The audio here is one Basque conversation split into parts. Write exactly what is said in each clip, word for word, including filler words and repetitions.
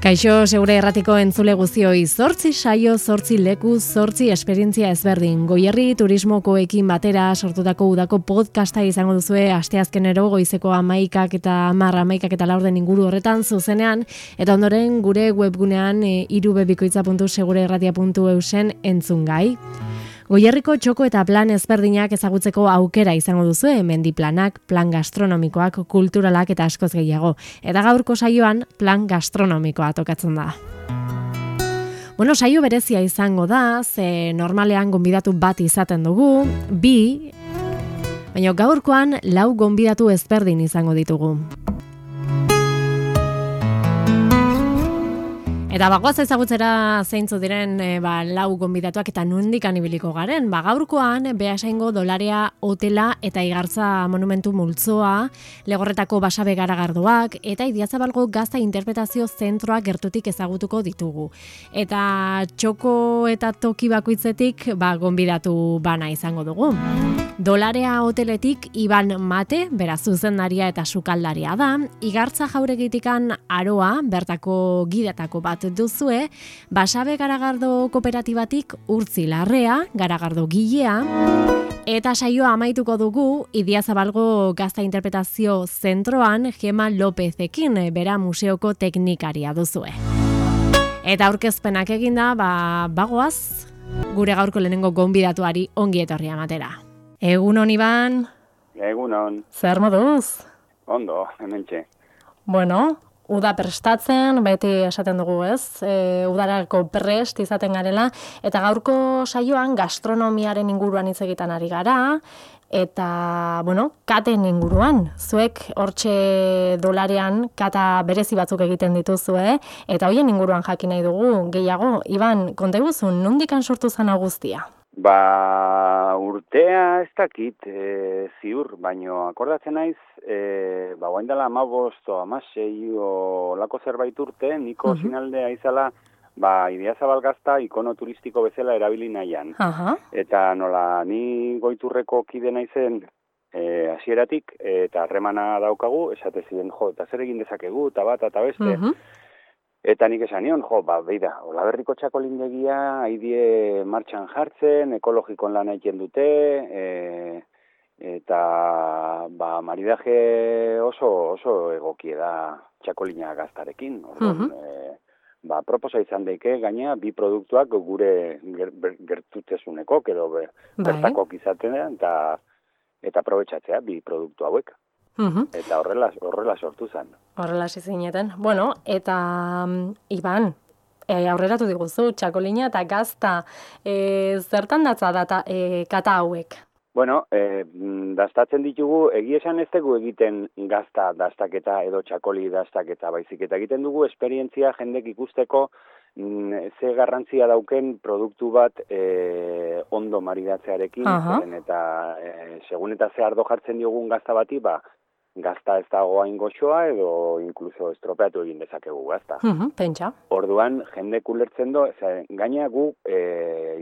Kaixo, Segure Erratiko entzule guztioi, zortzi saio, zortzi leku, zortzi esperientzia ezberdin. Goierri turismokoekin batera sortutako udako podcasta izango duzue asteazkenero goizeko amaikak eta hamar amaikak eta laurden inguru horretan zuzenean, eta ondoren gure webgunean e, irubebikoitza puntu segureerratia puntu eusen entzungai. Goierriko txoko eta plan ezberdinak ezagutzeko aukera izango duzu, mendiplanak, plan gastronomikoak, kulturalak eta askoz gehiago. Eta gaurko saioan plan gastronomikoa tokatzen da. Bueno, saio berezia izango da, ze normalean gonbidatu bat izaten dugu, bi, baina gaurkoan lau gonbidatu ezberdin izango ditugu. Eta bagoaz ezagutzera zeintzu diren e, ba, lau gonbidatuak eta nondik anibiliko garen. Ba, gaurkoan Beasaingo Dolaria hotela eta Igartza monumentu multzoa, Legorretako Basabe garagardoak eta Idiazabalgo gazta interpretazio zentroak gertutik ezagutuko ditugu. Eta txoko eta toki bakoitzetik ba, gonbidatu bana izango dugu. Dolarea hoteletik Iban Mate, beraz zuzendaria eta sukaldaria da. Igartza jauregitikan Aroa, bertako gidetako bat duzue, Basabe garagardo kooperatibatik Urtzi Larrea, garagardo gilea, eta saioa amaituko dugu Idiazabalgo gazta interpretazio zentroan Gema Lopezekin, bera museoko teknikaria duzue. Eta aurkezpenak eginda, ba, bagoaz, gure gaurko lehenengo gonbidatuari ongi etorria ematera. Egunon, Iban? Egunon. Zer moduz? Ondo, hementxe. Bueno, uda prestatzen, beti esaten dugu, ez? E, udarako prest izaten garela, eta gaurko saioan gastronomiaren inguruan hitz egiten ari gara, eta, bueno, katen inguruan. Zuek hortxe Dolarean kata berezi batzuk egiten dituzue, eta hoien inguruan jakin nahi dugu gehiago. Iban, konta iguzun, nondikan sortu zen guztia? Ba, urtea ez dakit, e, ziur, baino akordatzen naiz, e, ba, guain dela amabost o amasei o lako zerbait urte, niko uh-huh. sinaldea izala, ba, Idiazabal gazta ikono turistiko bezala erabili nahian. Uh-huh. Eta nola, ni goiturreko kide naizen e, hasieratik eta harremana daukagu, esate ziren, jo, eta zer egin dezakegu, eta bat, eta beste, uh-huh. Eta nik esan nion, jo, ba, beida, Olaberriko txakolindegia haidie martxan jartzen, ekologikon lan egiten dute, e, eta ba, maridaje oso, oso egokie da txakolina gaztarekin. Orduan, uh-huh. e, ba, proposa izan daike, gaina, bi produktuak gure ger, gertutzesuneko, edo ber, bertakok izaten eta, eta aprobetxatzea bi produktu hauek. Uhum. Eta horrela, horrela sortu zen. Horrela zineten. Bueno, eta um, Iban, e, aurreratu diguzu, txakolina eta gazta, e, zertan datza data e, kata hauek? Bueno, e, daztatzen ditugu, egi esan ez dugu egiten gazta daztaketa edo txakoli daztaketa, baizik eta egiten dugu esperientzia jendek ikusteko mm, ze garrantzia dauken produktu bat e, ondo maridatzearekin, uh-huh. eta e, segun eta ze ardo jartzen diogun gazta bati, ba, gazta ez dago hain goxoa edo inkluso estropeatu egin dezakegu gazta. Uh-huh, pentsa. Orduan, jendek ulertzen do, gaina gu e,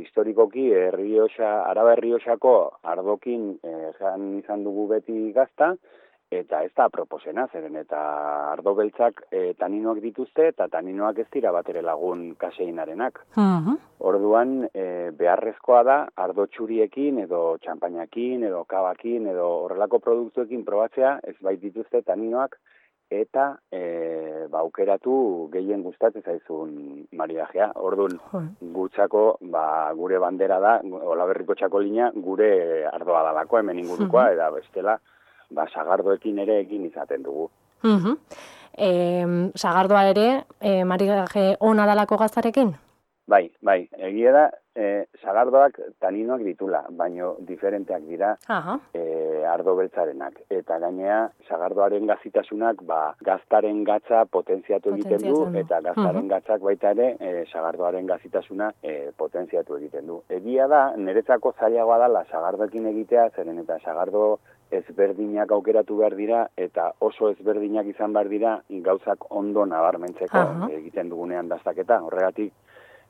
historikoki Errioxa, Araba Errioxako ardokin e, jan izan dugu beti gazta, eta ez da proposena, zeren eta ardo beltzak e, taninoak dituzte, eta taninoak ez dira bat ere lagun kaseinarenak. Uh-huh. Orduan, e, beharrezkoa da, ardo txuriekin, edo txampainakin, edo kabakin, edo horrelako produktuekin probatzea, ez bait dituzte taninoak, eta e, ba, aukeratu gehien gustatzen zaizun maridajea. Orduan, uh-huh. gutzako, ba, gure bandera da, Olaberriko txakolina, gure ardoa dalako, hemen ingurukoa, uh-huh. eta bestela, ba, sagardoekin ere egin izaten dugu. Uh-huh. E, sagardoa ere, e, maridaje ona dalako gaztarekin? Bai, bai, egia da, e, sagardoak taninoak ditula, baino diferenteak dira uh-huh. e, ardo beltzarenak. Eta gainea, sagardoaren gazitasunak, ba, gaztaren gatza potentziatu egiten du, eta gaztaren uh-huh. gatzak baita ere, e, sagardoaren gazitasuna e, potentziatu egiten du. Egia da, niretzako zailagoa dela sagardoekin egitea, zeren eta sagardo ezberdinak aukeratu behar dira, eta oso ezberdinak izan behar dira gauzak ondo nabarmentzeko uh-huh. egiten dugunean daztaketa. Horregatik,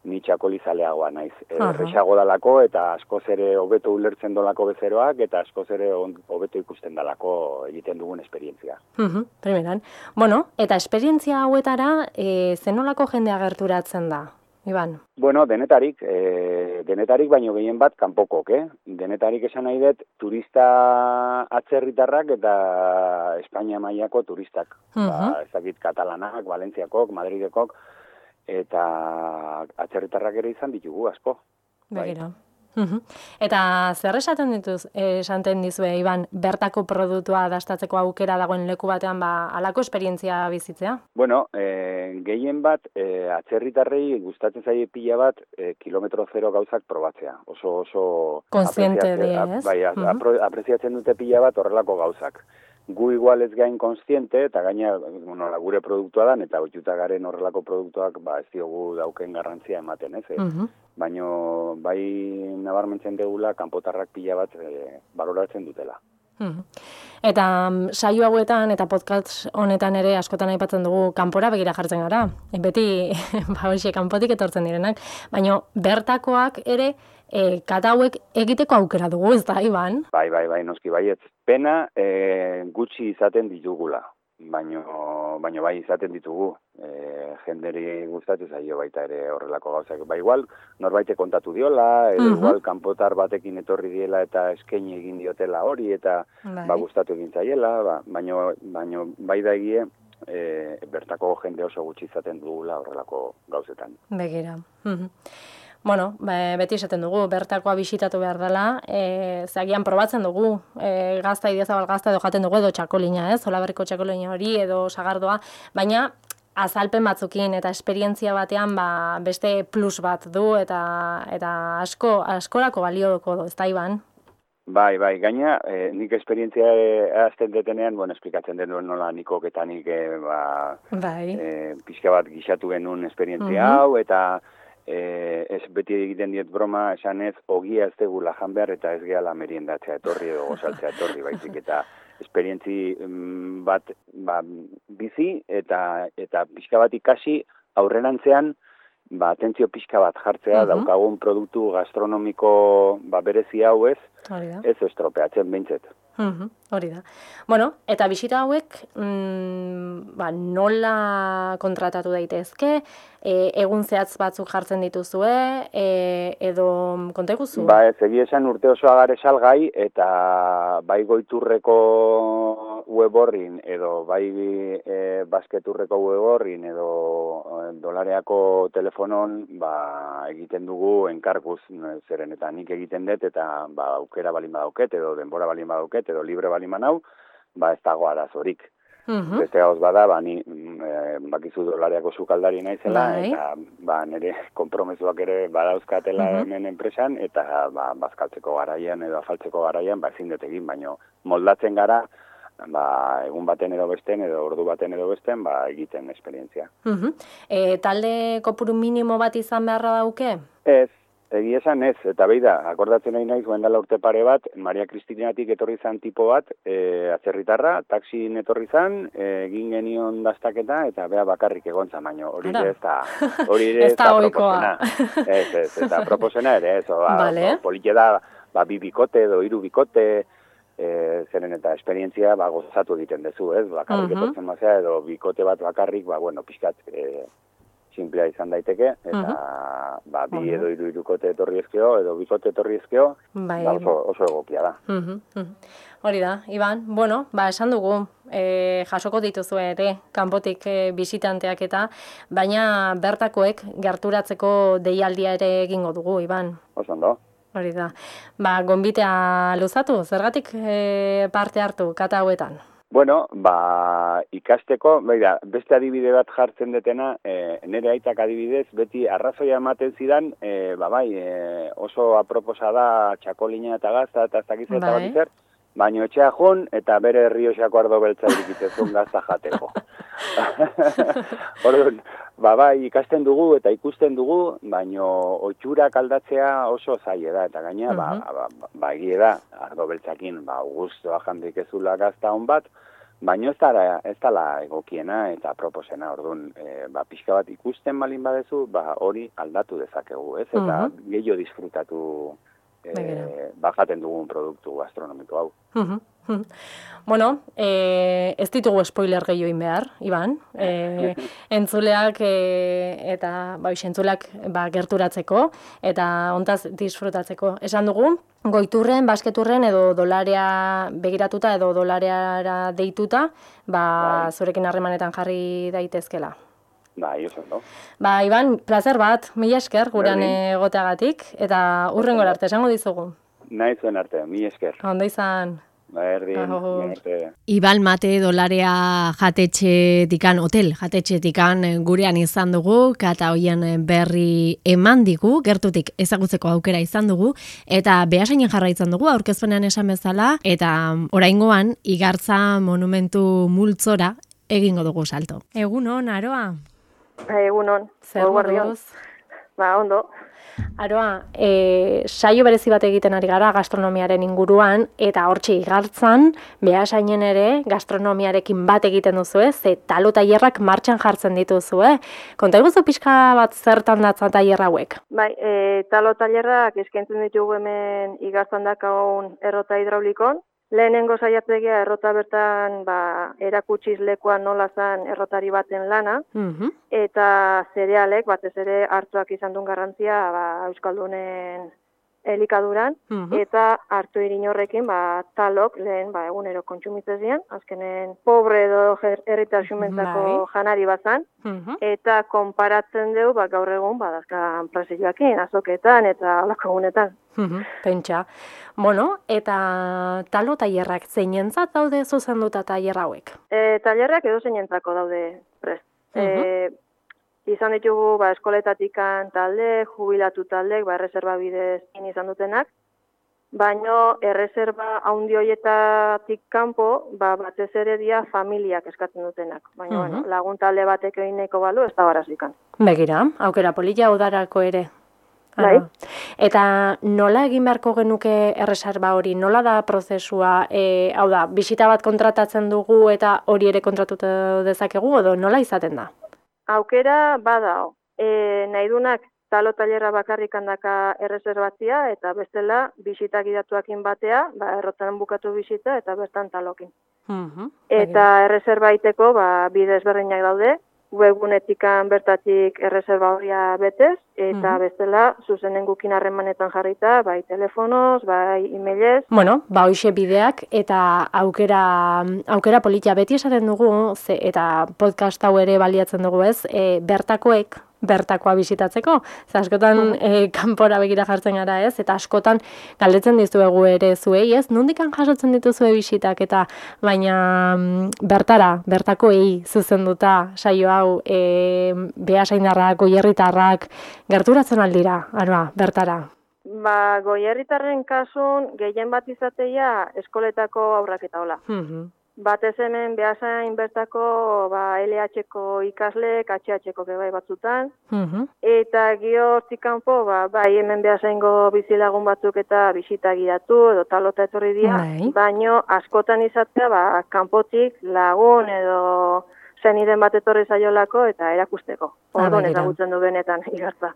ni txakolizaleagoa naiz. Erresago dalako eta askoz ere hobeto ulertzen dolako bezeroak eta askoz ere hobeto ikusten dalako egiten dugun esperientzia. Uh-huh, primeran. Bueno, eta esperientzia hauetara e, zenolako jendea gerturatzen da, Iban? Bueno, denetarik, e, denetarik baino gehien bat kanpokok, eh? Denetarik esan nahi dut turista atzerritarrak eta Espainia mailako turistak. Uh-huh. Ba, ez dakit katalanak, Valentziakok, Madridekok, eta atzerritarrak ere izan ditugu asko. Begira. Uhum. Eta zer esaten dituz, esaten dizue, Iban, bertako produktua dastatzeko aukera dagoen leku batean, ba, alako esperientzia bizitzea? Bueno, e, gehien bat, e, atzerritarrei gustatzen zaie pila bat, e, kilometro zero gauzak probatzea. Oso, oso... Konsiente de, ez? Bai, uh-huh. apreziatzen dute pila bat horrelako gauzak. Gu igual ez gain konstiente, eta gaina, bueno, gure produktua dan, eta oituta garen horrelako produktuak, ba, ez diogu dauken garrantzia ematen, ez? Uh-huh. Baina, bai nabarmentzen degula, kanpotarrak pila bat e, baloratzen dutela. Uh-huh. Eta um, saio hauetan eta podcast honetan ere askotan aipatzen dugu kanpora begira jartzen gara. E, beti, ba, hoxe, kanpotik etortzen direnak. Baina, bertakoak ere, E, kata hauek egiteko aukera dugu, ez da, Iban? Bai, bai, bai, noski baietz. Pena e, gutxi izaten ditugula, baino, baino bai izaten ditugu. E, jenderi gustatzen zaio baita ere horrelako gauzak. Ba, igual, norbaite kontatu diola, edo uh-huh. igual kanpotar batekin etorri diela eta eskaini egin diotela hori, eta bai. Ba, gustatu egin zaiela, ba, baino, baino bai da egie, e, bertako jende oso gutxi izaten dugula horrelako gauzetan. Begira. Uh-huh. Bueno, beti esaten dugu, bertakoa bisitatu behar dela, e, zagian probatzen dugu, e, gazta, idiazabal gazta edo jaten dugu edo txakolina, ez? Olaberriko txakolina hori edo sagardoa, baina azalpen batzukin eta esperientzia batean ba, beste plus bat du eta eta asko askorako balioko du, ez da, Iban? Bai, bai, gaina, e, nik esperientzia azten detenean, bueno, esplikatzen denuen nola nikok eta nik e, ba, bai. e, pixka bat gixatu genuen esperientzia uh-huh. hau, eta E, ez beti egiten diet broma esan ez, ogia ez degula jan behar eta ez gehala meriendatzea etorri edo gozaltzea etorri, baizik eta esperientzi bat ba, bizi eta eta pixka bat ikasi aurrerantzean ba, atentzio pixka bat jartzea, uh-huh. daukagun produktu gastronomiko ba, berezi hau ez, ez estropeatzen behintzet. Uh-huh. Hori da. Bueno, eta bisita hauek mm, ba, nola kontratatu daitezke, e, egun zehatz batzuk jartzen dituzue, e, edo konta eguzu? Ba, ez egia esan urte osoa gare salgai, eta bai goiturreko web horrin, edo bai e, basketurreko web horrin, edo e, dolareako telefonon, ba, egiten dugu enkarguz, zeren eta nik egiten dut, eta ba, aukera balin badauket, edo denbora balin badauket, edo libre balin manau, ba ez dago arazorik. Uh-huh. Beste gauz bada, ba, ni e, bakizu dolareako sukaldari naizela, bai. Eta ba, nire konpromezuak ere badauzkatela uh-huh. hemen enpresan, eta ba, bazkaltzeko garaian edo afaltzeko garaian, ba, ezin dut egin, baino moldatzen gara, ba, egun baten edo besten, edo ordu baten edo besten, ba, egiten esperientzia. Uh-huh. E, talde kopuru minimo bat izan beharra dauke? Ez. Egia esan ez, eta behi da, akordatzen nahi naiz, guendala urte pare bat, Maria Kristinatik etorri zan tipo bat, e, atzerritarra, taxin etorri zan, e, egin genion dastaketa, eta bea bakarrik egontza, baino, hori ez da, hori ez da proposena. Ez, ez, eta proposena ere, ez, ba, vale. Politia da, ba, bi bikote edo hiru bikote, e, zeren eta esperientzia, ba, gozatu egiten dezu, ez, bakarrik uh-huh. etortzen mazea, edo bikote bat bakarrik, ba, bueno, pixkat, e, simplea izan daiteke, eta uh-huh. ba, bi uh-huh. edo hiru hirukote etorri ezkeo, edo bikote etorri ezkeo, bai. Ba, oso, oso egokia da. Uh-huh. Uh-huh. Hori da, Iban, bueno, ba, esan dugu, e, jasoko dituzu ere, kanpotik e, bisitanteak eta, baina bertakoek gerturatzeko deialdia ere egingo dugu, Iban. Oso ondo. Hori da. Ba, gonbitea luzatu, zergatik e, parte hartu kata hauetan? Bueno, ba, ikasteko, beira, beste adibide bat jartzen detena, e, nire aitak adibidez, beti arrazoia ematen zidan, e, ba, bai, e, oso aproposa da txakolina eta gazta, eta ez dakiz eta bat izer, baino etxea jun, eta bere Rioxako ardo beltza irikitezun gazta jateko. Orduan, ba, bai, ikasten dugu eta ikusten dugu, baino otxurak aldatzea oso zaila da, eta gaina, uh-huh. ba, ba, ba, ba egie da, ardo beltzakin, ba, guztua jandik ezula gazta hon bat, baino ez dara, ez dala egokiena eta proposena, orduan, e, ba, pixka bat ikusten balin badezu, ba, hori aldatu dezakegu, ez? Eta uh -huh. gehiago disfrutatu e, bajaten dugun produktu gastronomiko hau. Uh -huh. Bueno, e, ez ditugu spoiler gehiago behar, Iban. E, entzuleak e, eta ba, entzuleak ba, gerturatzeko eta hontaz disfrutatzeko. Esan dugu, goiturren, basketurren edo dolarea begiratuta edo dolareara deituta, ba, zurekin harremanetan jarri daitezkela. Bai, oso, no? Ba, Iban, plazer bat, mila esker gurean egoteagatik eta hurrengora arte, esango dizugu. Nahi zuen arte, mila esker. Ondo izan. Berdin, Iban Mate Dolarea jatetxetikan, hotel jatetxetikan gurean izan dugu, kata hoien berri eman digu, gertutik ezagutzeko aukera izan dugu, eta behasainen jarraitzen dugu, aurkezpenean esan bezala, eta oraingoan Igartza monumentu multzora egingo dugu salto. Egunon, Aroa? Egunon, zer moduz? Ba, ondo. Aroa, e, saio berezi bat egiten ari gara gastronomiaren inguruan, eta hortxe Igartzan, behasainen ere gastronomiarekin bat egiten duzu, ze talo tailerrak martxan jartzen dituzue. Konta iguzu pixka bat zertan datzan tailer hauek? Bai, e, talo tailerrak eskaintzen ditugu hemen Igartzan dakagun errota hidraulikon. Lehenengo saiatzegia errota bertan ba, erakutsiz lekuan nola zan errotari baten lana, uh-huh. eta zerealek, batez ere hartuak izan duen garrantzia ba, Euskaldunen elikaduran, uh-huh. eta hartu irin horrekin ba, talok lehen ba, egunero kontsumitzezian, azkenen pobre edo herritar xumentako janari bazan, uh-huh. eta konparatzen dugu ba, gaur egun badazkan presioakin, azoketan eta alako egunetan. Uh-huh. Pentsa. Bueno, eta talo tailerrak zeinentzat daude zuzenduta tailer hauek? E, tailerrak edo zeinentzako daude prest. Uh-huh. E, izan ditugu ba, eskoletatikan talde, jubilatu taldek, ba, erreserba bidez izan dutenak, baino erreserba haundi horietatik kanpo, ba, batez ere dia familiak eskatzen dutenak. Baina, uh-huh. bueno, lagun talde batek egineko balu, ez da barazikan. Begira, aukera polilla udarako ere. Bai. Eta nola egin beharko genuke erreserba hori? Nola da prozesua? E, hau da, bisita bat kontratatzen dugu eta hori ere kontratutu dezakegu, edo nola izaten da? Aukera badao. E, nahi dunak talo tailerra bakarrik handaka erreserbatzia eta bestela bisita gidatuakin batea, ba, errotan bukatu bisita eta bertan talokin. Uh-huh. Eta erreserba iteko ba, bide ezberdinak daude, webgunetikan bertatik erreserba horia betez, eta uh-huh. bestela zuzenen gukin harremanetan jarrita, bai telefonoz, bai emailez. Bueno, ba hoixe bideak eta aukera aukera politia beti esaten dugu, ze, eta podcast hau ere baliatzen dugu ez, e, bertakoek bertakoa bisitatzeko. Ze askotan e, kanpora begira jartzen gara ez, eta askotan galdetzen dizuegu ere zuei ez, nondikan jasotzen dituzue bisitak, eta baina bertara, bertakoei zuzenduta saio hau e, behasaindarrak, goierritarrak, gerturatzen aldira, Aroa, bertara? Ba, goierritarren kasun gehien bat izateia eskoletako aurrak eta hola. Uh-huh. Batez hemen behasain bertako ba, L H-ko ikaslek, H H-ko bai batzutan, uh-huh. eta gio hortik kanpo, ba, bai hemen behasaingo bizilagun batzuk eta bisita gidatu, edo talota etorri dira, bai. baino askotan izatea, ba, kanpotik lagun edo zeniden bat etorri zaiolako eta erakusteko. Orduan ezagutzen du benetan Igartza.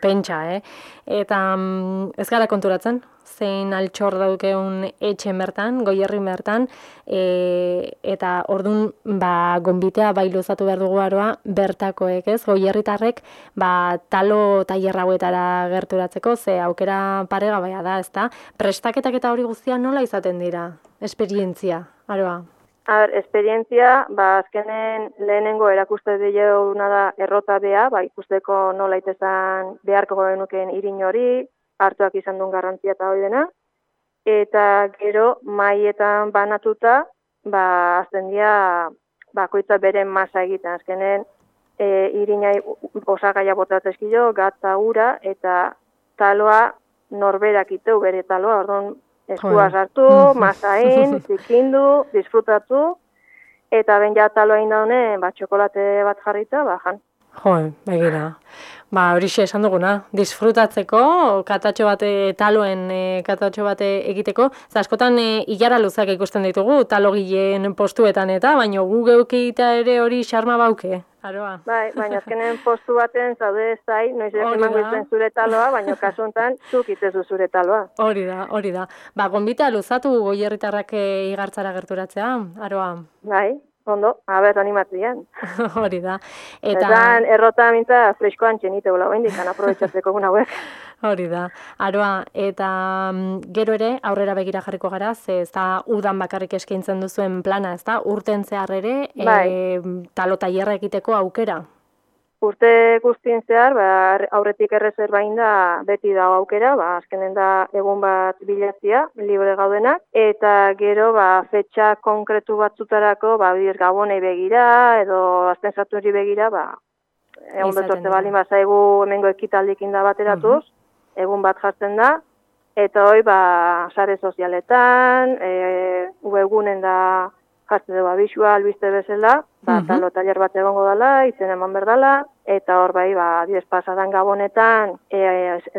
Pentsa, eh? Eta mm, ez gara konturatzen, zein altxor daukeun etxen bertan, goierrin bertan, e, eta ordun ba, gonbitea bai luzatu behar dugu Aroa, bertakoek ez, goierritarrek, ba, talo tailer hauetara gerturatzeko, ze aukera paregabaia da, ezta? Prestaketak eta hori guztia nola izaten dira? Esperientzia, Aroa? A ber, esperientzia, ba, azkenen lehenengo erakuste dileuna da errota bea, ba, ikusteko nola itezan beharko genuken irin hori, hartuak izan duen garrantzia eta hori dena, eta gero maietan banatuta, ba, azten dira, bakoitza beren masa egiten, azkenen e, irinai osagaia botatzezkilo, gatza ura, eta taloa norberak iteu bere taloa, orduan, eskua sartu, masain, zikindu, disfrutatu, eta ben ja taloa inda honen, ba, txokolate bat jarrita, ba, jan. Jo, begira. Ba, horixe esan duguna, disfrutatzeko, katatxo bate taloen e, katatxo bate egiteko, eta askotan e, ilara luzak ikusten ditugu, talogileen postuetan eta, baino gu geukita ere hori xarma bauke, aroa. Bai, baina azkenen postu baten zaude ez zai, noiz emango izten zure taloa, baina kasu honetan zuk itzezu zure taloa. Hori da, hori da. Ba, gonbita luzatu goierritarrak e, igartzara gerturatzea, aroa. Bai. Ondo, haber animatzean. Hori da. Eta Etan errota mintza freskoan txenite gola goindik, aprobetxatzeko guna hauek. Hori da. Aroa, eta gero ere aurrera begira jarriko gara, ze ez da udan bakarrik eskaintzen duzuen plana, ez da? Urten zehar ere, bai. e, talo tailerra egiteko aukera. Urte guztien zehar, ba, aurretik erreserbain da beti dago aukera, ba, azkenen da egun bat bilatzia, libre gaudenak, eta gero ba, fetxa konkretu batzutarako, ba, bidez gabonei begira, edo azten zaturi begira, ba, egun betorte bali bazaigu hemengo ekitaldikin da bateratuz, uh-huh. egun bat jartzen da, eta hoi, ba, sare sozialetan, e, webgunen da jartzen dugu abisua, albiste bezala, ba, uh-huh. talo taller bat egongo dela, izen eman berdala, eta hor bai, ba, diez pasadan gabonetan, e,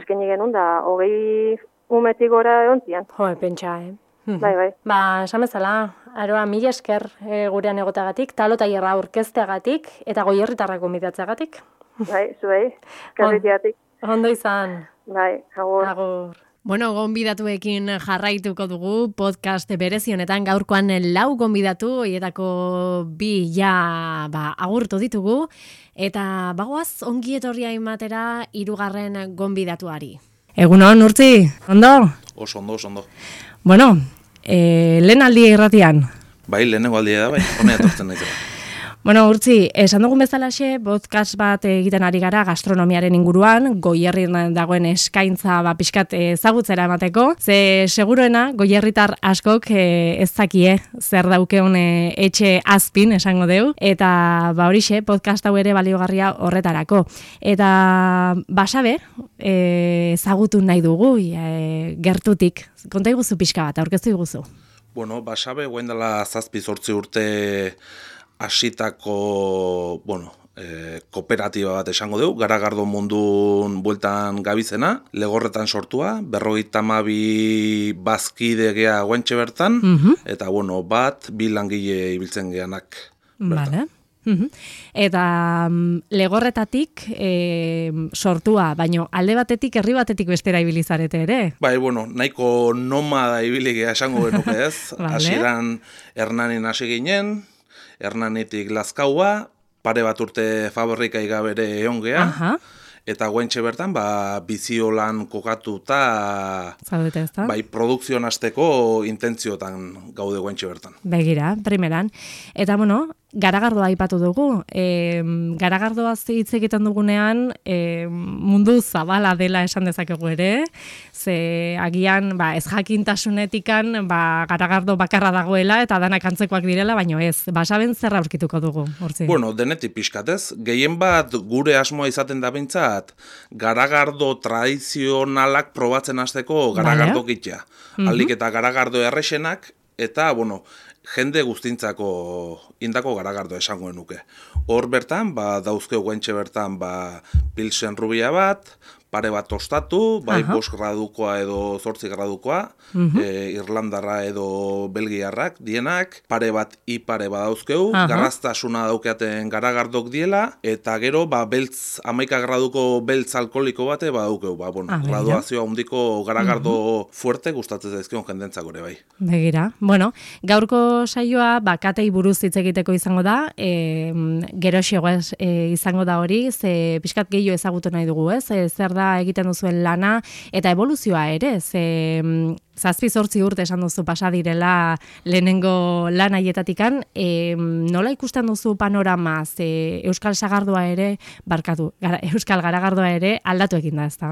eskenni genuen da, hogei umetik gora egontzian. Jo, pentsa, eh? Bai, bai. Ba, esan bezala, aroa, mila esker e, gurean egotagatik, talo tailerra aurkezteagatik, eta goierritarrak gonbidatzeagatik. Bai, zuei, kerritiatik. Ondo izan. Bai, agur. Agur. Bueno, gonbidatuekin jarraituko dugu podcast berezi honetan gaurkoan lau gonbidatu, horietako bi ja ba, agurtu ditugu, eta bagoaz ongi etorria ematera hirugarren gonbidatuari. Egunon, Urtzi, ondo? Oso ondo, oso ondo. Bueno, e, lehen aldia irratian. Bai, lehenengo aldia da, bai, honea etortzen naizela. Bueno, Urtzi, esan dugun bezalaxe, podcast bat egiten ari gara gastronomiaren inguruan, Goierrin dagoen eskaintza ba, pixkat ezagutzera emateko, ze seguruena Goierritar askok e, ez zakie zer daukeun e, etxe azpin, esango deu, eta ba horixe, podcast hau ere baliogarria horretarako. Eta basabe, e, ezagutu nahi dugu, e, gertutik, konta iguzu pixka bat, aurkeztu iguzu. Bueno, basabe, guen dela zazpi zortzi urte hasitako, bueno, e, kooperatiba bat esango dugu, Garagardo mundun bueltan gabizena, Legorretan sortua, berrogeita hamabi bazkide gea guentxe bertan, uh-huh. eta bueno, bat, bi langile ibiltzen geanak. Vale. Uh-huh. Eta um, Legorretatik e, sortua, baino alde batetik, herri batetik bestera ibilizarete ere. Bai, bueno, nahiko nomada ibiligea esango genuke ez, vale. Hasieran Hernanin hasi ginen, Hernanitik Lazkaua, pare bat urte fabrikai gabere egon gea, Aha. eta guentxe bertan, ba, biziolan kokatuta, Zaudete ez da? bai, produkzioan hasteko intentziotan gaude guentxe bertan. Begira, primeran. Eta, bueno, Garagardoa aipatu dugu. E, Garagardoaz hitz egiten dugunean e, mundu zabala dela esan dezakegu ere, ze agian ba, ez jakintasunetikan ba, Garagardo bakarra dagoela eta danak antzekoak direla, baino ez. Basaben zer aurkituko dugu, Urtzi? Bueno, denetik pixkatez, gehien bat gure asmoa izaten da bintzat, Garagardo tradizionalak probatzen hasteko Garagardo vale. Gitea. Uh-huh. Aldik eta Garagardo errexenak, eta, bueno, jende guztintzako indako Garagardo esango nuke. Hor bertan, ba, dauzkeu guentxe bertan, ba, pilsen rubia bat, pare bat tostatu, bai uh-huh. bost gradukoa edo zortzi gradukoa, uh-huh. e, Irlandarra edo Belgiarrak dienak, pare bat ipare badauzkeu, uh-huh. garraztasuna daukeaten Garagardok diela, eta gero, ba, beltz, amaika graduko beltz alkoholiko bate badaukeu, ba, bueno, ah, graduazioa hundiko Garagardo uh-huh. fuerte gustatzen zaizkion jendentzak ere bai. Begira, bueno, gaurko saioa, ba, katei buruz hitz egiteko izango da, e, geroxeago e, izango da hori, ze pixkat gehiago ezagutu nahi dugu, ez? E, zer da egiten duzuen lana eta eboluzioa ere, ze zazpi zortzi urte esan duzu pasa direla lehenengo lan haietatikan, e, nola ikusten duzu panorama, ze Euskal Sagardoa ere, barkatu, gara, Euskal Garagardoa ere aldatu egin da, ez da?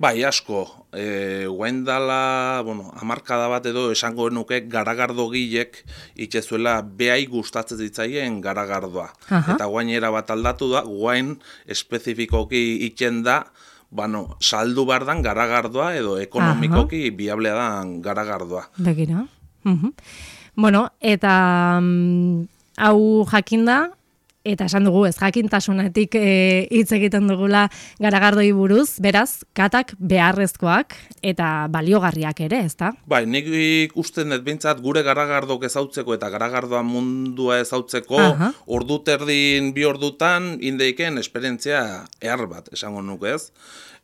Bai, asko, e, guaindala, bueno, hamarkada bat edo esango nuke Garagardo gilek itxezuela behai gustatzen ditzaien Garagardoa. Aha. Eta guainera bat aldatu da, guain espezifikoki itxen da, bueno, saldu behar dan Garagardoa edo ekonomikoki Aha. biablea dan Garagardoa. Begira. Uh-huh. Bueno, eta um, hau jakinda, eta esan dugu ez jakintasunetik e, hitz egiten dugula garagardoi buruz, beraz, katak beharrezkoak eta baliogarriak ere, ezta? Bai, nik ikusten dut behintzat gure garagardok ezautzeko eta garagardoa mundua ezautzeko Aha. ordu terdin bi ordutan indeiken esperientzia ehar bat, esango nuke ez.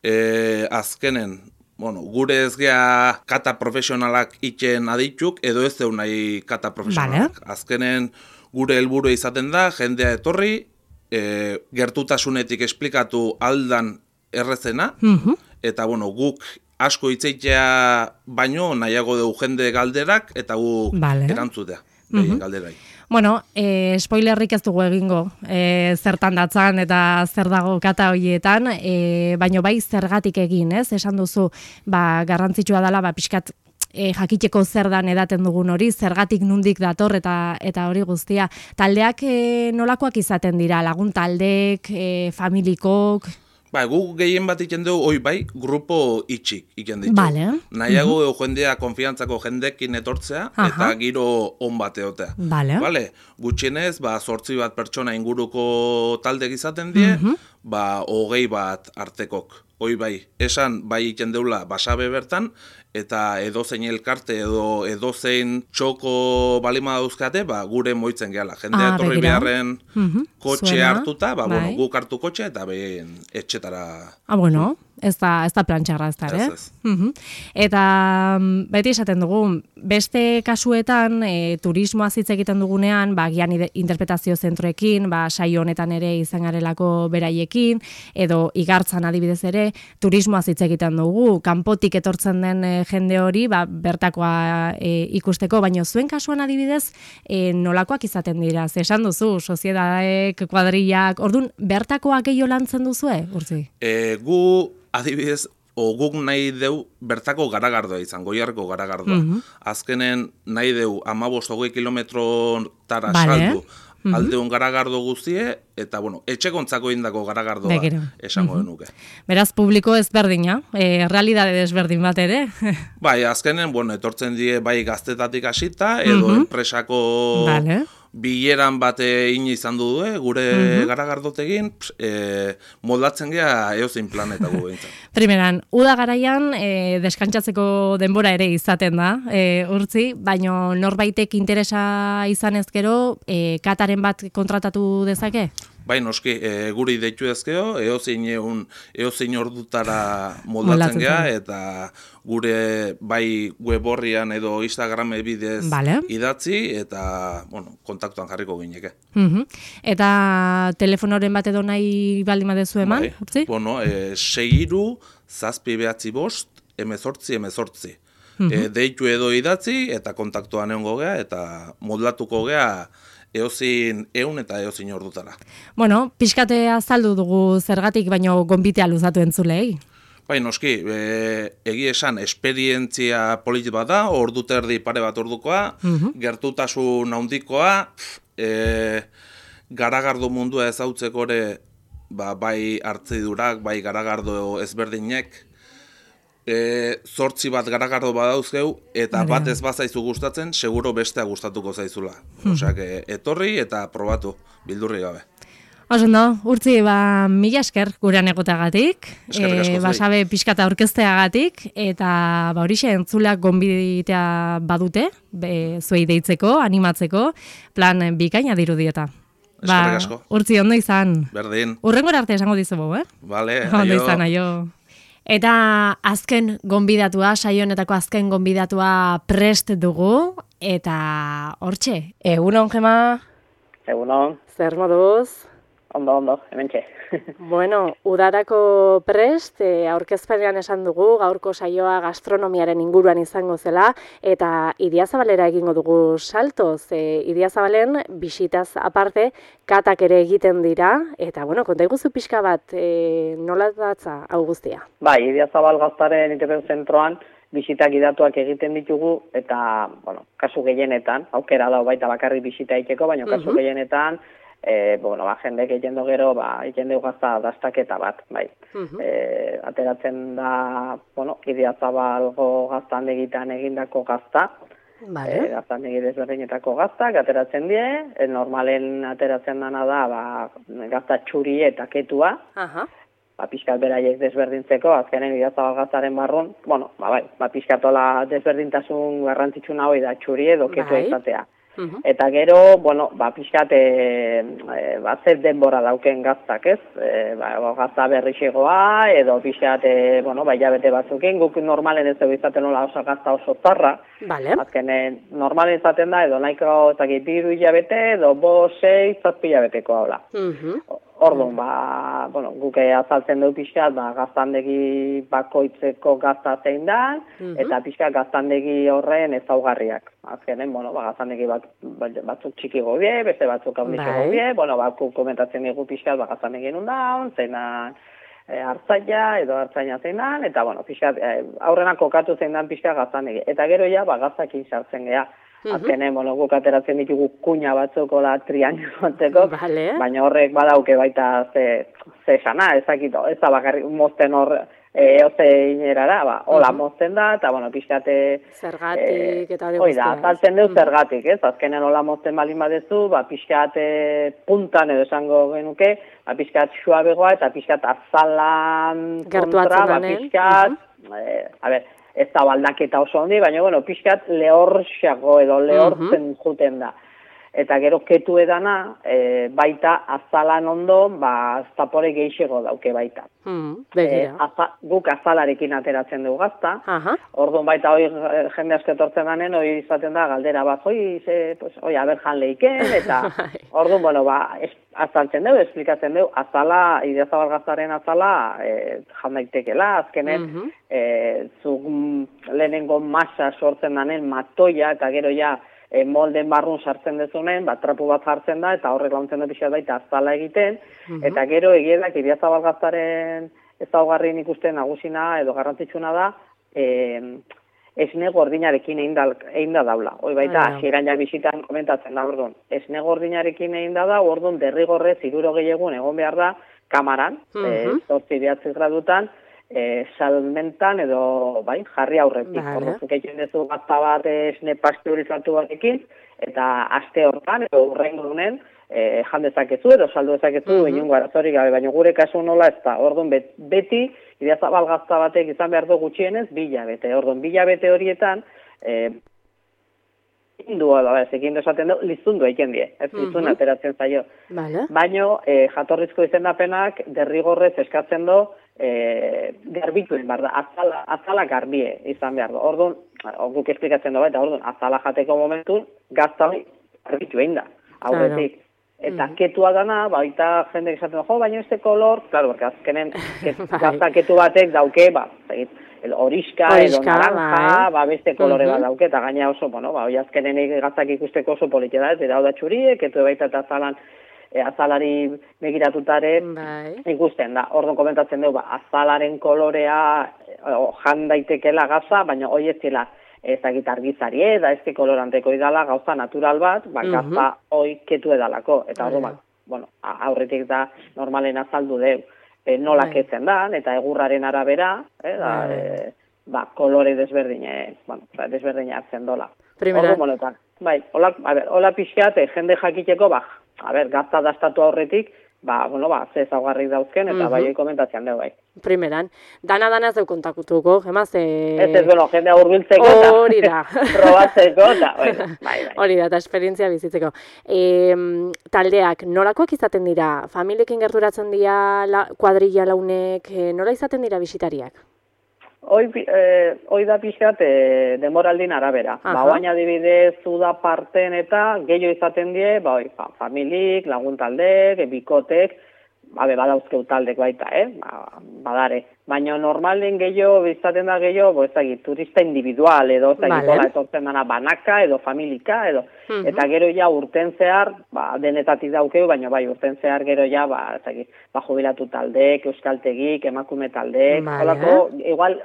E, azkenen, bueno, gure ez gea kata profesionalak itxen adituk, edo ez zeu nahi kata profesionalak. Vale. Azkenen, gure helburu izaten da, jendea etorri, e, gertutasunetik esplikatu aldan errezena, Mhm. eta bueno, guk asko hitzeitea baino nahiago dugu jende galderak, eta guk Vale. erantzutea, behien galderai. Bueno, e, spoilerrik ez dugu egingo, e, zertan datzan eta zer dago kata horietan, e, baino bai zergatik egin, ez? Esan duzu, ba, garrantzitsua dela, ba, pixkat, E, jakiteko zer dan edaten dugun hori, zergatik nundik dator eta eta hori guztia. Taldeak e, nolakoak izaten dira, lagun taldeek, e, familikok? Ba, gu gehien bat iken dugu, oi bai, grupo itxik iken ditu. Vale. Nahiago uh -huh. jendea konfiantzako jendekin etortzea, Aha. eta giro on bat egotea. Vale. Vale? Gutxienez, ba, zortzi bat pertsona inguruko taldek izaten die, Mhm. ba, hogei bat artekok. Oi bai, esan bai iken deula basabe bertan, eta edozein elkarte edo edozein txoko balima dauzkate, ba, gure moitzen gehala. Jendea Ah, etorri begira. beharren Mhm. kotxe Zuena, hartuta, ba, bueno, bai. guk hartu kotxe eta behin etxetara. Ah, bueno, ez da, ez da plantxarra ez da, Ez, eh? ez. Mhm. Eta mm, beti esaten dugu, beste kasuetan, e, turismoa hitz egiten dugunean, ba, gian ide- interpretazio zentroekin, ba, saio honetan ere izan garelako beraiekin, edo igartzan adibidez ere, turismoa hitz egiten dugu, kanpotik etortzen den e, jende hori, ba, bertakoa e, ikusteko, baina zuen kasuan adibidez, e, nolakoak izaten dira, ze esan duzu, sozietateek, kuadrillak, orduan, bertakoak gehiago lantzen duzue, Urtzi? E, gu, adibidez, o guk nahi deu bertako garagardoa izan, goiarko garagardoa. Mhm. Azkenen nahi deu amabost hogei kilometrotara Vale. saldu aldeun garagardo guztie, eta, bueno, etxekontzako indako garagardoa Begira. esango genuke. Beraz, publiko ezberdina, e, realidade desberdin bat ere. Bai, azkenen, bueno, etortzen die bai gaztetatik hasita, edo Mhm. enpresako Vale. bileran bate in izan du du, gure garagardotegin, e, moldatzen gea eozein planetako behintzat. Primeran, uda garaian e, deskantsatzeko denbora ere izaten da, e, Urtzi, baino norbaitek interesa izan ezkero, e, kataren bat kontratatu dezake? Bai, noski, e, guri deitu ezkeo, eozein egun, eozein ordutara moldatzen Moldatzen gea, zara. eta gure bai web horrian edo Instagrame bidez Vale. idatzi, eta, bueno, kontaktuan jarriko gineke. Mhm. Eta telefonoren bat edo nahi baldin badezu eman, Bai, Urtzi? bueno, e, seiru, zazpi behatzi bost, emezortzi, emezortzi. E, deitu edo idatzi, eta kontaktuan egongo gea, eta moldatuko gea eozin eun eta eozin ordutara. Bueno, pixkate azaldu dugu zergatik, baino gonbitea luzatu entzulei. Bai, noski, e, egi esan, esperientzia polit bat da, ordu terdi pare bat ordukoa, gertutasun handikoa, e, garagardo mundua ezautzeko ere, ba, bai hartzidurak, bai garagardo ezberdinek, e, zortzi bat garagardo badauzkeu, eta Hori da. bat ez bazaizu gustatzen, seguro bestea gustatuko zaizula. Osak, e, etorri eta probatu, bildurri gabe. Oso ondo, Urtzi, ba, mila esker gurean egotagatik, Eskerrik asko zuei. basabe pixkata aurkezteagatik, eta ba, horixe entzuleak gonbitea badute, be, zuei deitzeko, animatzeko, plan bikaina dirudieta. Eskerrik asko. Urtzi, ondo izan. Berdin, Urrengora arte esango dizugu, eh? bale, Ondo aio. izan, aio. Eta azken gonbidatua, saio honetako azken gonbidatua prest dugu, eta hortxe, egunon, Gema, Egunon, zer moduz? ondo, ondo, hementxe. Bueno, udarako prest, e, aurkezpenean esan dugu, gaurko saioa gastronomiaren inguruan izango zela, eta Idiazabalera egingo dugu saltoz. E, Idiazabalen, bisitaz aparte, katak ere egiten dira, eta, bueno, konta iguzu pixka bat, e, nola datza hau guztia? Bai, Idiazabal gaztaren interpretazio zentroan, bisitak idatuak egiten ditugu, eta, bueno, kasu gehienetan, aukera da baita bakarrik bisita egiteko, baina kasu Mhm. gehienetan, E, bueno, ba, jendek egiten du gero, ba, egiten dugu gazta dastaketa bat, bai. Mhm. E, ateratzen da, bueno, Idiazabalgo gaztan egitan egindako gazta, Vale. E, gaztandegi desberdinetako gaztak ateratzen die, e, normalen ateratzen dana da, ba, gazta txuri eta ketua, Aha. ba, pixkat beraiek desberdintzeko, azkenen Idiazabal gaztaren barrun, bueno, ba, bai, ba, pixkatola desberdintasun garrantzitsuna hori da txuri edo ketua Bai. izatea. Mhm. Eta gero, bueno, ba, pixkat, e, e, ba, zer denbora dauken gaztak, ez? E, ba, gazta berrixegoa, edo pixkat, e, bueno, ba, hilabete batzukin, guk normalen ez dugu izaten nola oso gazta oso zarra, Vale. azkenen normalen izaten da, edo nahiko, ezagik, biru hilabete, edo bo, sei, zazpi hilabeteko haula. Mhm. Orduan, ba, bueno, guk azaltzen dugu pixkat, ba, gaztandegi bakoitzeko gazta zein da, Mhm. eta pixkat gaztandegi horren ezaugarriak. Azkenen, bueno, ba, gaztandegi bat, batzuk txiki gobie, beste batzuk handitxe Bai. gobie, bueno, ba, komentatzen dugu pixkat, ba, gaztandegi nun daun, zeinan e, hartzaia, edo hartzaina zeinan, eta, bueno, pixkat, e, aurrenak kokatu zein dan pixkat gaztandegi. Eta gero ja, ba, gaztakin sartzen geha. Azkenen, bueno, guk ateratzen ditugu kuña batzuko da triangelo batzeko, Vale. baina horrek badauke baita ze, ze esana, ezakito, ez da bakarrik mozten hor e, ozein erara, ba, hola mozten da, eta, bueno, pixkate... Zergatik eta hori Hoi da, guztia, ez? azaltzen deu zergatik, ez? Azkenen hola mozten balin badezu, ba, pixkate puntan edo esango genuke, ba, pixkat suabegoa eta pixkat azalan Gertuatzen kontra, ba, danen. pixkat, eh, a ber, ez da baldaketa oso handi, baina, bueno, pixkat lehorxago edo lehortzen juten da. Eta gero ketu edana, e, baita azalan ondo, ba, zapore geixego dauke baita. Hmm, E, begira. aza, guk azalarekin ateratzen dugu gazta, Aha. orduan baita hoi jende asko etortzen danen, hoi izaten da galdera bat, hoi, ze, pues, hoi, aber jan leiken, eta orduan, bueno, ba, es, azaltzen dugu, esplikatzen dugu, azala, Idiazabal gaztaren azala, e, jan daitekela, azkenen, Mhm. e, zuk lehenengo masa sortzen danen matoia, eta gero ja, e, molden barrun sartzen dezunen, bat trapu bat jartzen da, eta horrek launtzen da pixat baita azala egiten, eta gero egiedak Idiazabal gaztaren ezaugarri nik uste nagusina edo garrantzitsuna da, e, esne gordinarekin egin da, egin da daula. Hoi baita, Ah, ja. hasieran ja bisitan komentatzen da, orduan, esne gordinarekin egin da da, orduan derrigorrez hiruro gehiagun egon behar da kamaran, Mhm. e, zortzi behatzi gradutan, e, salmentan edo bai, jarri aurretik. Vale. Orduan, zuk egiten duzu gazta bat esne pasteurizatu batekin, eta aste hortan, edo urrengo dunen, e, jan dezakezu edo saldu dezakezu, mm -hmm. inungo arazorik gabe, baina gure kasu nola ez da. Orduan, bet, beti, Idiazabal gazta batek izan behar du gutxienez, bilabete. Orduan, bilabete horietan, e, indu, edo, ez, ekin esaten du, lizundu eiken die, ez lizun ateratzen zaio. Vale. Baino, e, jatorrizko izendapenak derrigorrez eskatzen du, e, garbituen behar da, azala, azala garbie izan behar du. Orduan, guk esplikatzen du baita, orduan, azala jateko momentun, gazta hori garbitu egin da, aurretik. Eta mm. ketua dana, baita jende esaten du, jo, baina este kolor, claro, porque azkenen ket, gazta ketu batek dauke, ba, egit, el horiska, edo naranja, ba, beste kolore bat dauke, eta gaina oso, bueno, ba, hoi azkenen gaztak ikusteko oso politia da, ez, eta hau da txuriek, ketu baita eta azalan, e, azalari begiratutare ikusten da. Orduan komentatzen dugu, ba, azalaren kolorea o, jan daitekela gaza, baina hoi ez dela ezagit argizari eda, ezke koloranteko idala, gauza natural bat, ba, gazta hoi ketu edalako, eta orduan, ba, bueno, aurretik da normalen azaldu deu. E, nola ketzen da, eta egurraren arabera, eh, da, e, ba, kolore desberdine, bueno, desberdine hartzen dola. Primera. Ordu, bueno, bai, hola, a ber, hola pixkat, eh, jende jakiteko, ba, a ber, gazta dastatu aurretik, ba, bueno, ba, ze ezaugarrik dauzken, eta uh -huh. bai, komentatzean dugu, bai. Primeran, dana-dana ez deu kontakutuko, gemaz, e... Ez ez, bueno, jendea hurbiltzeko, eta hori da. probatzeko, eta, bueno, bai, bai. Hori da, eta esperientzia bizitzeko. E, taldeak, nolakoak izaten dira? Familiekin gerturatzen dira, la, kuadrilla launek, e, nola izaten dira bisitariak? Hoi, eh, hoi da pixat eh, demoraldin arabera. Aha. Ba, oain adibidez, uda parten eta gehiago izaten die, ba, oi, fa, familik, laguntaldek, bikotek, babe, badauzkeu taldek baita, eh? Ba, badare. Baina normalen gehiago, izaten da gehiago, bo, ezagit, turista individual, edo, ezagit, vale. Etortzen dana banaka, edo familika, edo, uh -huh. eta gero ja urten zehar, ba, denetatik daukeu, baina bai, urten zehar gero ja, ba, ezagit, ba, jubilatu taldek, euskaltegik, emakume taldek, vale. Olako, igual,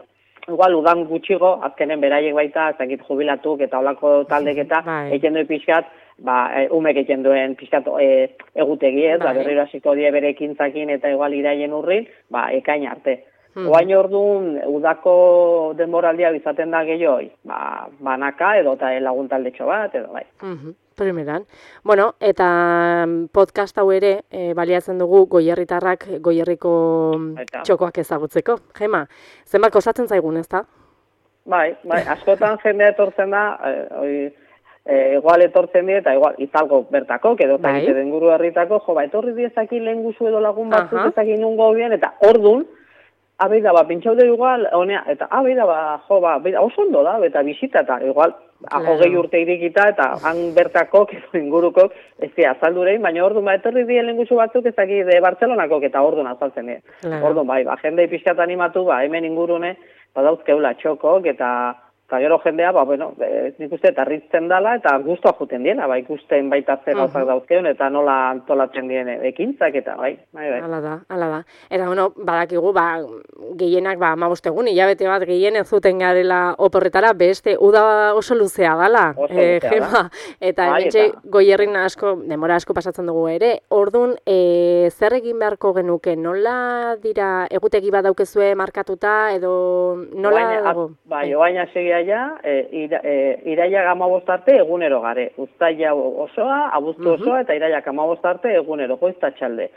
igual udan gutxigo, azkenen beraiek baita, ezagit, jubilatuk, eta olako taldek eta, egiten duen pixkat, ba, e, umek egiten duen pixkat e, egutegi, ez, ba, berriro hasiko die bere ekintzakin eta igual iraien urrin, ba, ekain arte. Mm. Oain orduan, udako denboraldia izaten da gehioi, ba, banaka edo eta laguntaldetxo bat, edo bai. Mm-hmm. Primeran. Bueno, eta podcast hau ere e, baliatzen dugu goierritarrak goierriko eta txokoak ezagutzeko. Gema, zenbat kostatzen zaigun, ezta? Bai, bai, askotan jendea etortzen da, e, oi, e, igual etortzen die, eta igual izalgo bertako, edo eta egite den guru herritako, jo, ba, etorri diezaki lehen guzu edo lagun batzuk ezaki nungo bien, eta ordun, abeida, ba, pintxaude igual, honea, eta abeida, ba, jo, ba, abeida, oso ondo da, eta bisita, eta igual, claro. Hogei urte irikita, eta han bertako, inguruko, ez dira, azaldurein, baina orduan, ba, etorri dien lenguzu batzuk, ez dakit de Bartzelonako, eta orduan azaltzen dira. Claro. Orduan, bai, ba, jende pixkat animatu, ba, hemen ingurune, badauzkeula txokok, eta eta gero jendea, ba, bueno, e, nik uste, eta ritzen dela, eta guztua juten diena, ba, ikusten baita zer gauzak uh-huh. dauzkeun, eta nola antolatzen dien ekintzak, eta bai, bai, bai. Hala da, hala da. Eta, bueno, badakigu, ba, gehienak, ba, amabostegun, hilabete bat gehien ez zuten garela oporretara, beste, uda oso luzea dala, oso luzea e, Gema, eta bai, hementxe goierrin asko, demora asko pasatzen dugu ere, orduan, e, zer egin beharko genuke, nola dira, egutegi bat daukezue markatuta, edo nola oaina, dago? Bai, oaina segia ja, e, ira, e, irailak amabost arte egunero gare. Uztaila osoa, abuztu osoa, eta irailak amabost arte egunero, goizta txalde.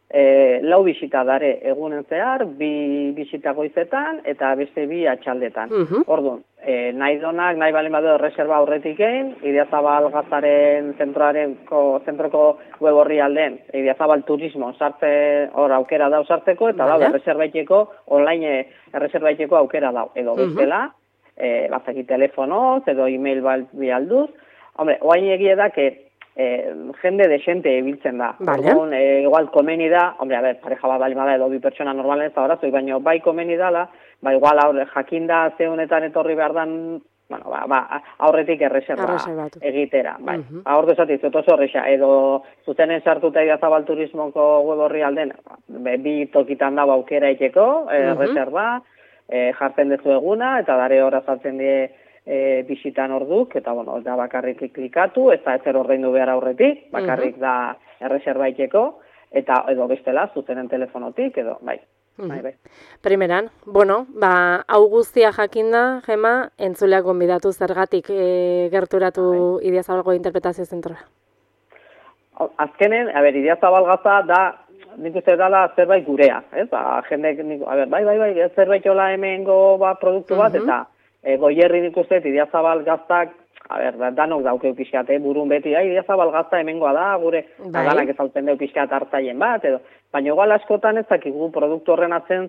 E, lau bisita dare egunen zehar, bi bisita goizetan, eta beste bi atxaldetan. Uh-huh. Orduan, e, nahi donak, nahi balen badu reserva aurretik egin, Idiazabal Gazaren zentroaren, ko, zentroko web horri alden, Idiazabal Turismo sartze, hor aukera dau sartzeko, eta vale. Dau, erreserbaiteko, online erreserbaiteko aukera dau, edo bestela, uh-huh. E, bazaki telefonoz, edo e-mail bialduz. Hombre, oain egie da, que e, jende desente ebiltzen da. Vale. Orduan, e, igual komeni da, hombre, a ver, pareja bat balimada edo bi pertsona normalen ez da horazoi, baina bai komeni dala, ba, igual aurre, jakinda zeunetan etorri behar dan, bueno, ba, ba, aurretik erreserba egitera. Bai. Uh-huh. Aurre esatiz, oso horreixa, edo zutenen sartuta Idiazabal Turismoko web horri alden, bi tokitan dago aukera iteko, uh-huh. erreserba, E, jartzen dezu eguna, eta dare hor azaltzen die e, bisitan orduk, eta bueno, da bakarrik klikatu, ez da ezer ordaindu behar aurretik, bakarrik uh-huh. da erreserbaiteko, eta edo bestela, zuzenen telefonotik, edo bai. Uh-huh. bai, bai. Primeran, bueno, ba, hau guztia jakinda, Gema, entzuleak gonbidatu zergatik e, gerturatu bai. Idiazabalgo interpretazio zentroa. Azkenen, a ber, Idiazabal Gaza da, nik uste dala zerbait gurea, ez? Ba, jendek, a ber, bai, bai, bai, zerbait jola hemengo ba, produktu bat, uh-huh. eta e, goierri nik uste, Idiazabal Gaztak, a ber, danok daukeu pixkat, eh? Burun beti, ai, Idiazabal Gazta hemengoa da, gure, bai. Danak ezaltzen deu pixkat hartzaien bat, edo, baina igual askotan ez dakigu produktu horren atzen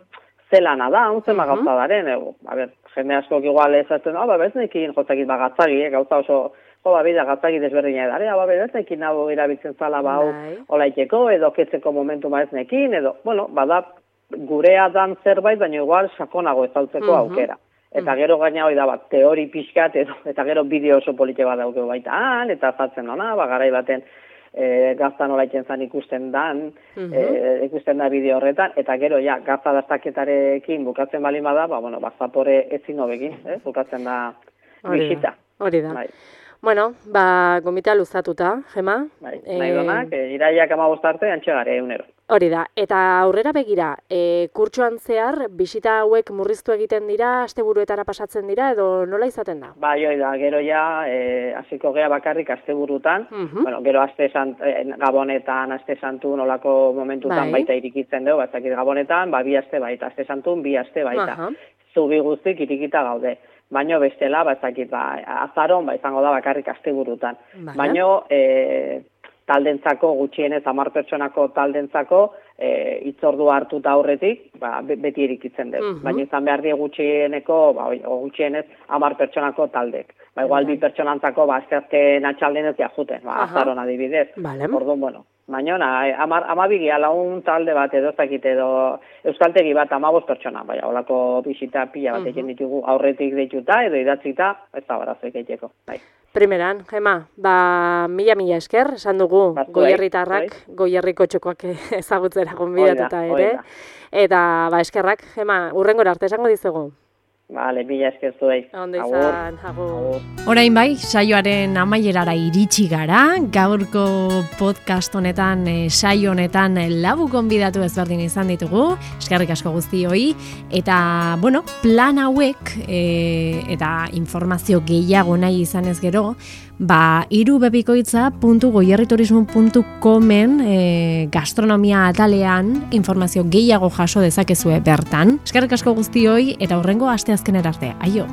zelana da, unzen uh-huh. gauza daren, e, a ber, jende askok igual ez azten, ah, ba, beznekin, jotzakit, ba, gatzagi, eh? Gauza oso, jo, ba, bida, gatzagi desberdina edare, ba, bedezekin nago erabiltzen zala, ba, olaiteko, edo ketzeko momentu maeznekin, edo, bueno, bada, gurea dan zerbait, baina igual sakonago ezautzeko uh-huh. aukera. Eta gero gaina hori da, bat, teori pixkat, edo, eta gero bideo oso polite bat daukeu baita han, eta zatzen dona, ba, garai baten e, gaztan olaitzen zan ikusten dan, uh-huh. e, ikusten da bideo horretan, eta gero, ja, gazta dastaketarekin bukatzen balin bada, ba, bueno, ba, zapore ezin hobegin, eh, bukatzen da bisita. Hori da. Bai. Bueno, ba, gomita luzatuta, Gema. Bai, nahi donak, e, iraiak amabost arte, antxegare egunero. Hori da, eta aurrera begira, e, kurtsuan zehar, bisita hauek murriztu egiten dira, asteburuetara pasatzen dira, edo nola izaten da? Bai, hori da, gero ja, e, hasiko gea bakarrik asteburutan, uh-huh. bueno, gero aste sant, e, gabonetan, aste santu nolako momentutan bai. Baita irikitzen dugu, batzakit gabonetan, ba, bi aste baita, aste santun, bi aste baita. Uh-huh. Zubi guztik irikita gaude. Baino bestela, batzakit, ba, azaron, ba, izango da bakarrik asteburutan. Vale. Baino, e, taldentzako, gutxienez, hamar pertsonako taldentzako, e, itzordua hartuta aurretik, ba, beti erikitzen dut. Uh-huh. Baina izan behar die gutxieneko, ba, gutxienez, hamar pertsonako taldek. Ba, igual bi pertsonantzako, ba, azteazken atxalden ez juten, ba, azaron adibidez. Vale. Orduan, bueno. Baina, ama, amabigia laun talde bat edo zakit edo euskaltegi bat amabost pertsona, baina holako bisita pila bat egin ditugu aurretik deituta edo idatzita, ez da barazoik egiteko. Bai. Primeran, Gema, ba, mila-mila esker, esan dugu goierritarrak, goierriko txokoak ezagutzera gonbidatuta ere. Eta, ba, eskerrak, Gema, urrengora arte esango dizugu. Vale, mila esker zuei. Ondo izan, agur. Orain bai, saioaren amaierara iritsi gara, gaurko podcast honetan, e, saio honetan e, lau gonbidatu ezberdin izan ditugu, eskerrik asko guztioi, eta, bueno, plan hauek e, eta informazio gehiago nahi izan ez gero, ba, irubebikoitza puntu goierriturismo puntu comen e, gastronomia atalean informazio gehiago jaso dezakezue bertan. Eskerrik asko guztioi, eta hurrengo asteazkenera arte. Aio!